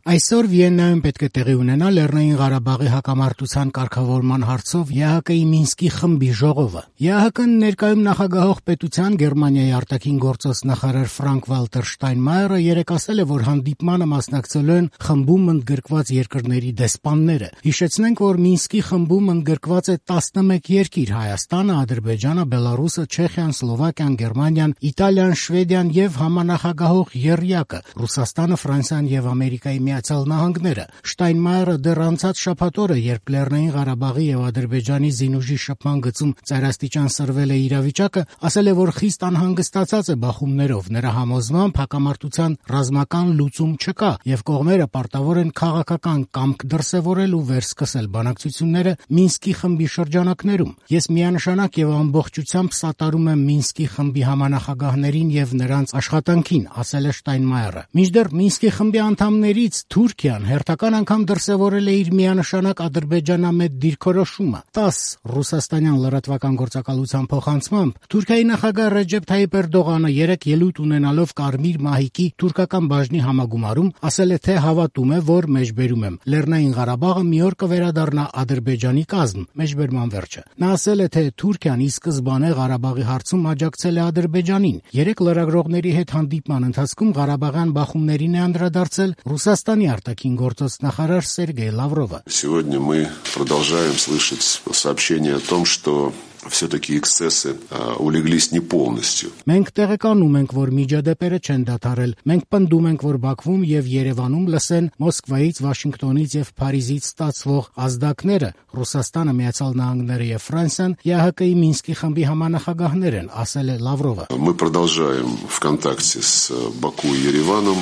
Այսօր Վիեննայում պետք է տեղի ունենա Լեռնային Ղարաբաղի հակամարտության կարգավորման հարցով ԵԱՀԿ-ի Մինսկի խմբի ժողովը։ ԵԱՀԿ-ն ներկայում նախագահող պետության Գերմանիայի արտաքին գործոս նախարար Ֆրանկկ-Վալտեր Շտայնմայերը երեկ ասել է, որ հանդիպմանը մասնակցելու են խմբում ընդգրկված երկրների դեսպանները։ Հիշեցնենք, որ Մինսկի խմբում ընդգրկված է 11 երկիր՝ Հայաստանը, Ադրբեջանը, Բելարուսը, Չեխիան, Սլովակիան, Գերմանիան, Իտալիան, Շվեդիան եւ համանախագահող եռյակը՝ Ռուսաստանը, Ֆրանսիան եւ Ամերիկայի Միացյալ Նահանգները։ Շտայնմայերը դեռ անցած շաբաթ օրը, երբ Լեռնային Ղարաբաղի եւ Ադրբեջանի զինուժի շփման գծում ծայրաստիճան սրվել է իրավիճակը, ասել է, որ խիստ անհանգստացած է բախումներով։ Նրա համոզմամբ հակամարտության ռազմական լուծում չկա եւ կողմերը պարտավոր են քաղաքական կամք դրսեւորել ու վերսկսել բանակցությունները Մինսկի խմբի շրջանակներում։ Ես միանշանակ եւ ամբողջությամբ սատարում եմ Մինսկի խմբի համանախագահներին եւ նրանց աշխատանքին, ասել է Շտայնմայերը։ Մինչդեռ Մինսկի խմբի անդամներից Թուրքիան հերթական անգամ դրսևորել է իր միանշանակ ադրբեջանամետ դիրքորոշումը։ 10 ռուսաստանյան լրատվական գործակալության փոխանցմամբ Թուրքիայի նախագահ Ռեջեփ Թայիփ Էրդողանը երեկ ելույթ ունենալով Կարմիր մահիկի թուրքական բաժնի համագումարում ասել է, թե հավատում է, որ մեջբերում եմ Լեռնային Ղարաբաղը մի օր կվերադառնա Ադրբեջանի կազմ։ Մեջբերման վերջը։ Նա ասել է, թե Թուրքիան ի սկզբանե Ղարաբաղի հարցում աջակցել է Ադրբեջանին։ Երեկ լրագրողների հետ հանդիպման ընթացքում Ղարաբաղյան բախումներին է անդրադարձել Ռուսաստանի արտաքին գործոս նախարար Սերգեյ Լավրովը։ Сегодня мы продолжаем слышать сообщения о том, что все-таки эксцессы улеглись не полностью. Մենք տեղեկանում ենք, որ միջադեպերը չեն դադարել։ Մենք պնդում ենք, որ Բաքվում եւ Երևանում լսեն Մոսկվայից, Վաշինգտոնից եւ Փարիզից ստացվող ազդակները։ Ռուսաստանը, Միացյալ Նահանգները եւ Ֆրանսիան ԵԱՀԿ-ի Մինսկի խմբի համանախագահներ են, ասել է Լավրովը։ Мы продолжаем в контакте с Баку и Ереваном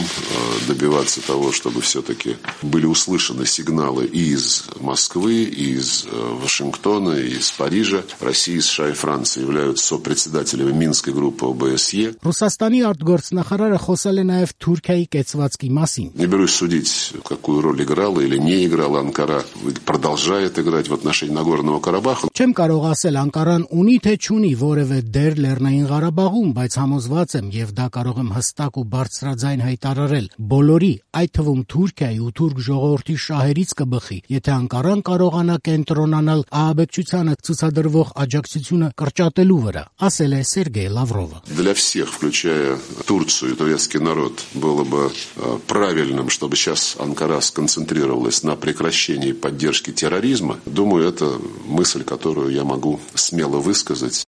добиваться того, чтобы все-таки были услышаны сигналы и из Москвы, и из Вашингтона, и из Парижа. Россия, США и Франция являются сопредседателями Минской группы ОБСЕ. Ռուսաստանի արտգործնախարարը խոսել է նաև Թուրքիայի կեցվածքի մասին։ Не берусь судить, какую роль играла или не играла Анкара, продолжает играть в отношении Нагорного Карабаха. Չեմ կարող ասել Անկարան ունի թե չունի որևէ դեր Լեռնային Ղարաբաղում, բայց համոզված եմ եւ դա կարող եմ հստակ ու բարձրաձայն հայտարարել։ Բոլորի, այդ թվում Թուրքիայի ու թուրք ժողովրդի շահերից կբխի, եթե Անկարան կարողանա կենտրոնանալ ահաբեկչությանը ցուցադրվող աջակցությունը կրճատելու վրա, ասել է Սերգեյ Լավրովը։ Для всех, включая Турцию и турецкий народ, было бы правильным, чтобы сейчас Анкара сконцентрировалась на прекращении поддержки терроризма. Думаю, это мысль, которую я могу смело высказать.